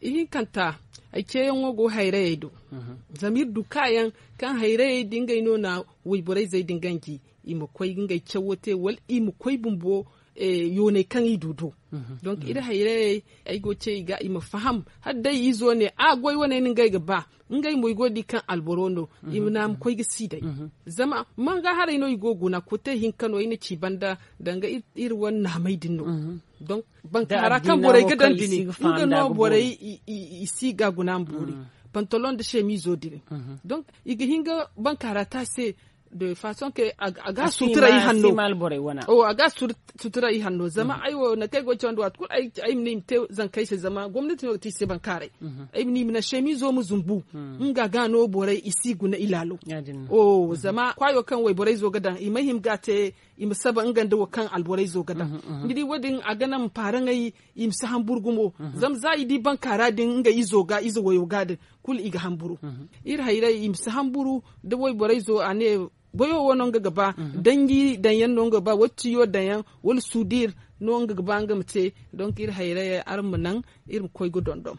Ihinkanta, ay ceeyaŋo go hayrayey do. Zama iri du kaayaŋ kaŋ hayrayey da ngey no na wayborey zey din ganji, i ma koy ga ngey cawo te wala i ma koy bumbo yooney kaŋ i du do. Donk iri hayrayey ay go ce i ga i ma faham, hala day izo ne a goy wane no ngey ga ba, ngey mo i go ga di kaŋ alboro no, i ma naŋ a ma koy ga si day. Zama manga haray no i go ga guna kote hinka no ay na ci banda danga iri wane naamey din no. Donk bankaara kaŋ borey ga daŋ dini nga no borey i si ga guna ma boori, pantalon da semizo din. Donk i ga hin ga bankaara te a se de façon que a ga sutura i hanno. A ga sutura i hanno zama ay wo nangu kaŋ ay go ga cawandi waati kulu ay ma ne i ma te zankey se zama gomnati no ga te i se bankaaray. Ay ma ne i ma naŋ semizo ma zumbu nga ga no borey i si guna i laalo. Zama kwaayo kaŋ wayborey zo ga daŋ i ma hima ga a te, i ma saba nga nda wo kaŋ alborey zo ga daŋ. Ni di wo- din a ga naŋ ma paaraŋey i ma si hamburu gumo. Zama za i di bankaara din nga izo ga ize wayo ga din, kulu i ga hamburu. Iri hayrayey i ma si hamburu da wayborey zo a ne goyo wo no nga ga ba, danji daŋ yaŋ no nga ga ba wala tiyo daŋ yaŋ, wala suudir no nga ga ba nga ma te. Donk iri hayrayey araŋ ma naŋ iri ma koy ga dondon.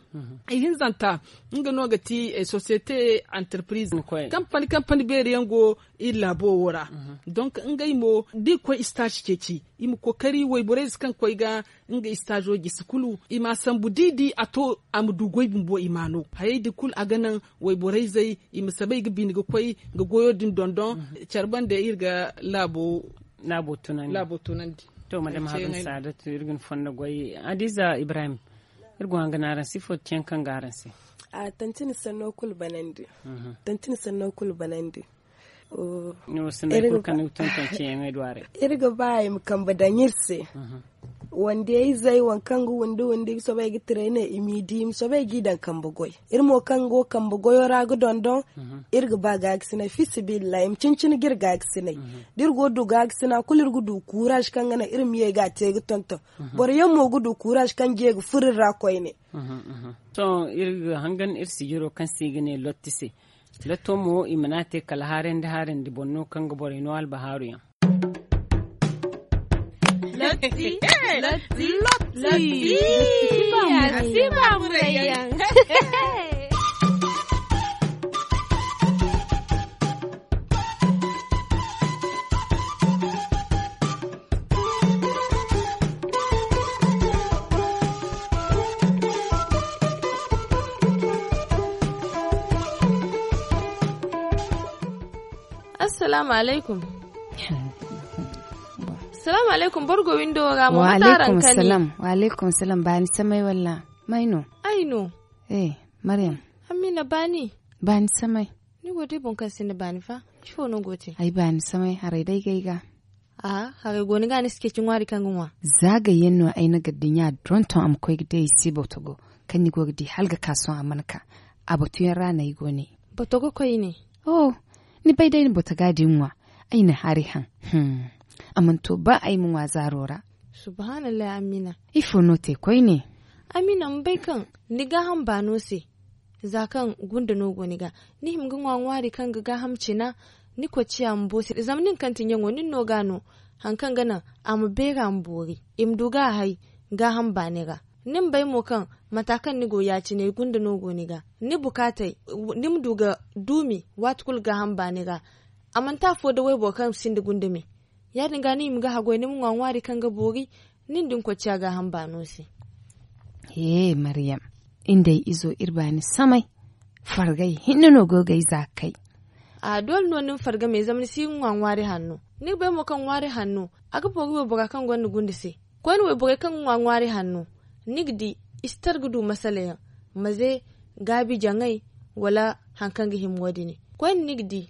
Ihinzanta nga no ga ti sosiyete, antarpiriz, kampani kampani beeri yaŋ go iri laabo wo ra. Donk ngey mo da i koy istaazi ceeci, i ma kookari wayborey ze kaŋ koy ga nga istaazo gisi kulu i ma a sambu da i di a to a ma du goy bumbo i ma no hayey din kulu a ga naŋ wayborey zey i ma sabay ga bine ga koy ga goyo din dondon. Care bande iri ga laabo tunandi. To madama haruna saadatu iri ga ni fondo goy hadiza ibrahim. Iri go hanga no araŋ se ifo ti yaŋ kaŋ ga araŋ se? A tanti ni sanno kulu banandi. Tanti ni sanno kulu banandi. Iri ga ba i ma kambe daŋ iri se. Wande izey waŋ kaŋ ga windi windi ga soobay ga tira i ne i m'i di i ma soobay g'i daŋ kambe goy. Iri mo kaŋ go kambe goyo ra ga dondon, iri ga ba gaagasinay fi sabilillahi i ma cin cin ga iri gaagasinay. Da iri go ga du gaagasina kulu iri ga du kuuraaz kaŋ ga naŋ iri ma ye ga a te ga tonton. Boro yaŋ mo ga du kuuraaz kaŋ ga ye ga furo iri ra koyne. Sohõ iri ga hangan iri sijiro kaŋ se i ga ne lotti se. Lotto mo i mana te kala haarandi haarandi boŋ no kaŋ ga borey no albahaaru yaŋ. Lotti. Lotti. Lotti. Lotti. Lotti. Assalaamu alaykum. Salaamu alaykum, boro go windo wo ra mo mate araŋ kani? Wa alaykum salam, baani samay walla? May no? Ay no. Maryam. Amina, baani. Baani samay. Ni go day boro kaŋ sinda baani fa? Ifo no go te? Ay baani samay haray day gay ga. Aha, haray go ni ga ni si ceeci ŋwaari kaŋ ga ŋwa. Za gayyaŋ no ay na ga dinya donton a ma koy ga day ay se botogo kaŋ ni go ga di hala ga ka sohõ a mana ka. A batuyaŋ ra no ay go ne. Botogo koyne. Oh, ni bay day ni botoga din ŋwa. Ay na hari haŋ. A mana to ba ay ma ŋwa zaaro ra. Subhanallahi, amina. Ifo no te koyne? Amina, ma bay kaŋ ni gaaham baano se. Za kaŋ gunda no go ni ga, ni hima ga ŋwa ŋwaari kaŋ ga gaaham cina. Ni kocciya ma bo se zama nin kaŋ ti ɲaŋo nin no ga no. Hari kaŋ ga naŋ a ma beera ma boori i ma du ga a hay. Gaaham baani ra. Ni ma bay mo kaŋ mata kaŋ ni go ya- cine gunda no go ni ga. Ni bukaatey ni ma du ga duumi waati kulu gaaham baani ra. A manti afo da wayboro kaŋ sinda gunda me. Ya- din ga ni hima ga haggoy ni ma ŋwa ŋwaari kaŋ ga boori. Nin da ni kocciya gaaham baano se. He maryam, iri nda ay izo iri baani samay. Fargay hinne no go ga ay za ga kay. A doole no ni ma farga me zama ni si ga ŋwa ŋwaari hanno. Ni ga bay mo kaŋ ŋwaari hanno a ga boori waybora kaŋ gonda gunda se. Koyne wayborey kaŋ ga ŋwa ŋwaari hanno, ni ga di i si tara ga du masala yaŋ, maze, gaabi jaŋay, wala hari kaŋ ga hima wo- din. Koyne ni ga di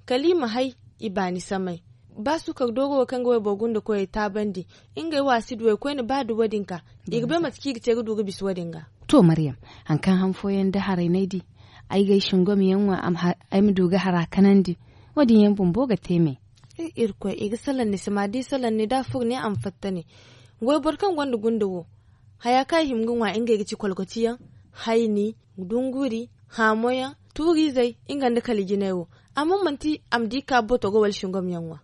kala i ma hay i baani samay. Ba suukar dooro wo kaŋ ga wayboro gunda koyey taabandi, ngey wo a si duw'ey koyne ba da wo- din ka. I ga bay mate kaŋ i ga te ga du ga bisa wo- din ga. To maryam, hari kaŋ han fooyaŋ da haray no ay di. Ay ga ay singom yaŋ ŋwa ay ma du ga hara kanandi. Wo- din yaŋ bumbo ga te me. Irkoy i ga salaŋ ni se ma da i salaŋ ni da a furo ne a ma fatta ne. Wayboro kaŋ gonda gunda wo, haya kaŋ a hima ga ŋwa ngey ga ci kolkotiyaŋ, hayni, dunguri, haamoyaŋ, tuuriizey, nga nda kala jinay wo. Amma manti a ma di ka botogo wala singom yaŋ ŋwa.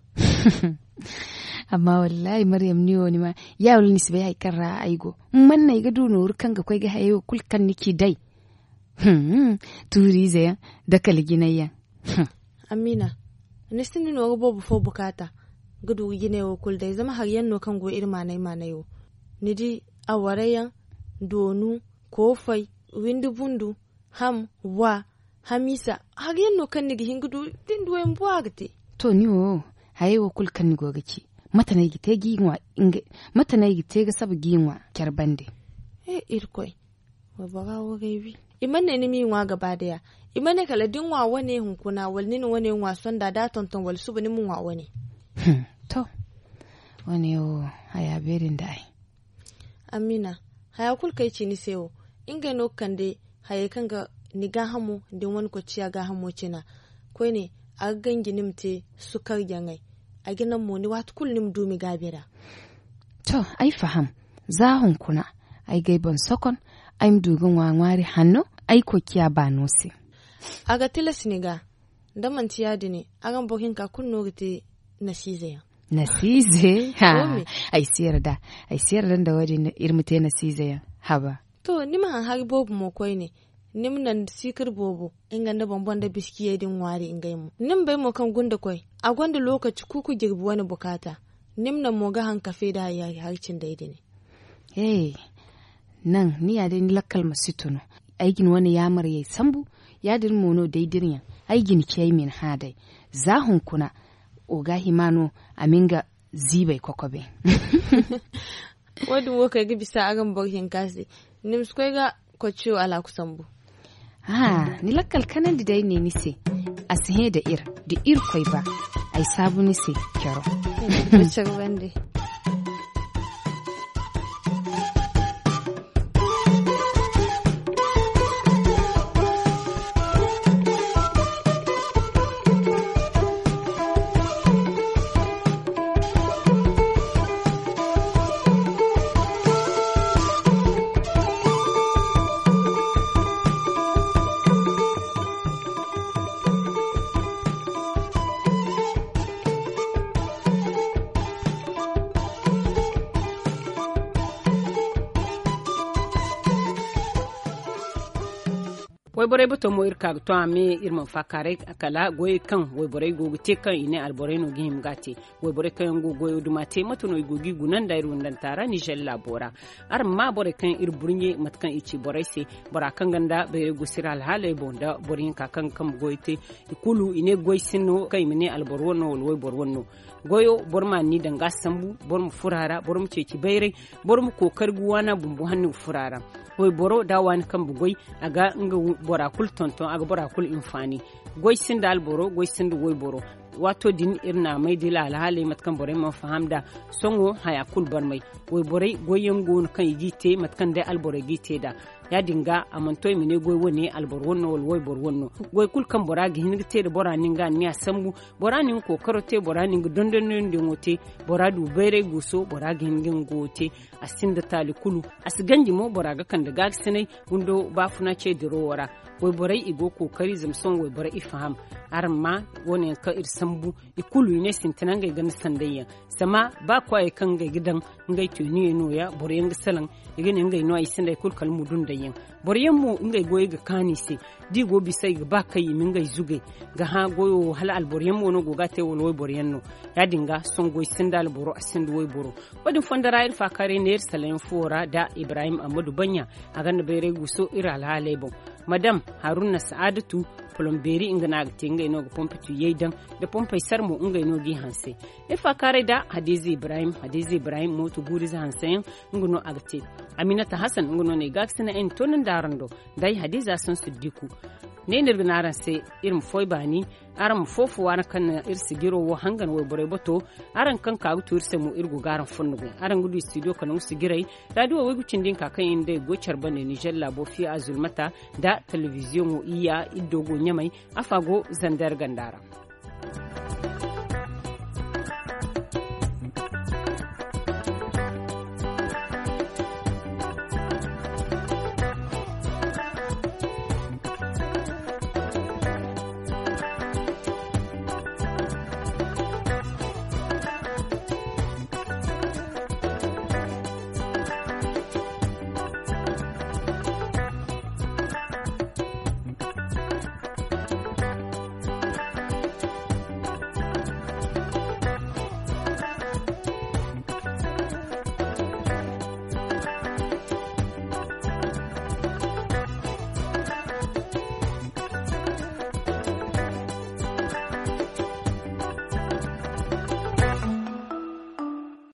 Amma wallahi maryam ni wo ni ma ya wala ni si bay hari kaŋ ra ay go. Man no ay ga du nooru kaŋ ga koy ga hayey wo kulu kaŋ ni ci day. Tuuriize yaŋ, da kala jinay yaŋ. Amiina, ni sinda nooru boobo fo bukaata ga du ga jinay wo kulu day zama hari yaŋ no kaŋ go iri maanay maanay wo. Ni di, awara yaŋ, doonu, koofay, windi bundu, ham, wa, hamiisa, hari yaŋ no kaŋ ni ga hin ga du da ni duw'ey ma bu a ga te. To ni wo, hayey wo kulu kaŋ ni go ga ci, mate no ay ga te ga i ŋwa? Mate no ay ga te ga saba ga i ŋwa care bande? He irkoy, waybora wo ga ay wi. I mana ne ni m'i ŋwa gaba day a. I mana ne kala da ni ŋwa wane hunkuna wala ni na wane ŋwa sonda da a tonton wala suba ni ma ŋwa wane. To, wane wo, haya beeri nda ay. Amiina, haya kulu kaŋ ay ci ni se wo, ngey no ga kande hayey kaŋ ga ni gaahamo da ni wane kocciya gaahamo cina. Koyne, a ga ganji ni ma te sukar jaŋay. Ay ga naŋ mo ni waati kulu ni ma duumi gaabi ra. To, ay faham. Za hunkuna, ay ga ay boŋ sokon, ay ma du ga ŋwa ŋwaari hanno ay kocciya baano se. A ga tilas ni ga. Da manti ya- din, araŋ boro hinka kulu no ga te nasiize yaŋ. Nasiize? Ay si yarda. Ay si yarda nda wo- din iri ma te nasiize yaŋ. Haba. To ni ma haŋ hari boobo mo koyne. Ni ma naŋ siikir boobo, nga nda boŋ boŋ nda biskiyey din ŋwaari ngey mo. Ni ma bay mo kaŋ gunda koy, a gonda lookaci kuuku jirbi wane bukaata. Ni ma naŋ mo ga haŋ kafe nda hari cindey din. He, naŋ ni ya day ni lakkal ma si tunu. Ay ga ni wane yaamarey sambu. Ya- din mo no day da iri yaŋ, ay ga ni ci ay ma ni hã day. Za hunkuna, wo ga hima no a ma nga ziibay kokobe. Wo- din wo kaŋ ay ga bisa araŋ boro hinka se. Ni ma si koy ga kocciyo alaaku sambu. Ni lakkal kanandi day ne ni se. A si hẽ da iri da irkoy ba. Ay saabu ni se. Caro. Caro bande. Wayborey bato mo iri ka ga to a me iri mana faakaaray. Kala goyey kaŋ wayborey go ga te kaŋ i ne alborey no ga hima ga a te. Wayborey kaŋ yaŋ go ga goyo duma te mate no i go ga i guna nda iri windanta ra nizer laabo ra. Araŋ ma borey kaŋ iri burɲe mate kaŋ i ci borey se. Bora kaŋ gonda bayray guusu iri alhaaley boŋ nda boro hinka kaŋ ga kambe goyo te, i kulu i ne goy sinda no kaŋ i ma ne alboro wane no wala wayboro wane no. Goyo boro ma ni daŋ ga a sambu, boro ma furo a ra, boro ma ceeci bayray, boro ma kookari ga waana bumbo hanno ga furo a ra. Wayboro da a waani kambe goy, a ga nga bora kulu tonton, a ga bora kulu hinfaani. Goy sinda alboro, goy sinda wayboro. Waato din iri na a may da iri alhaaley mate kaŋ borey mana faham nd'a. Sohõ haya kulu barmay. Wayborey goyyaŋ go no kaŋ i g'i te mate kaŋ day alborey g'i te nd'a. Ya-din ga a mana to i ma ne goy wane alboro wane no wala wayboro wane no. Goy kulu kaŋ bora ga hin ga te nda bora na nga anniya sambu, bora na nga kookaro te, bora na nga dondonandiyaŋo te, bora du bayray guuso, bora ga hin ga nga goyo te. A sinda taali kulu. A si ganji mo bora ga kande gaakasinay windo baafuna ce diro wo ra. Wayborey i go kookari zama sohõ wayborey i faham. Araŋ ma wane yaŋ kaŋ iri sambu, i kulu i ne sintina ngey ganda sanday yaŋ. Zama ba kwaayey kaŋ ngey ga daŋ, ngey teeniyaŋ nooya boro yaŋ ga salaŋ. I ga ne ngey no ay sinda ay kulu kala mudunday yaŋ. Boro yaŋ mo ngey goyey ga kaanu i se. Da i go bisa i ga ba kaŋ i ma ngey zugay ga hã goyo wo hala alboro yaŋ mo no go ga a te wala wayboro yaŋ no. Ya-din ga sohõ goy sinda alboro a sinda wayboro. Wo-din fondo ra iri faakaaray ne iri salaŋ yaŋ fuwo ra nda ibrahim ammadu baɲɲa. A gonda bayray guuso iri alhaaley boŋ. Madam haruna sa'aadatu, polombeeri nga no a ga te ngey no ga pompe tuuyey daŋ, nda pompey sar mo ngey no g'i hanse. Iri faakaaray nda hadiza ibrahim hadiza ibrahim mooto guurize hanseyaŋ, nga no a ga te. Aminata hasan nga no no ay gaakasina ay na toonandi araŋ do. Nda ay hadiza son siddiku. Ne no iri ga ne araŋ se, iri ma foy baani. Araŋ ma foofo waana kaŋ na iri sijiro wo hangan wayborey bato. Araŋ kaŋ ka ga tu iri se mo iri go ga araŋ fonno goy araŋ ga du studio kala nga sijiray. Raadiyo waygu cindi hinka kaŋ yaŋ day go care bande nizer laabo fiya a zulmata, nda telebiziyoŋo iyya iddo go ɲamay. Afa go zander ganda ra.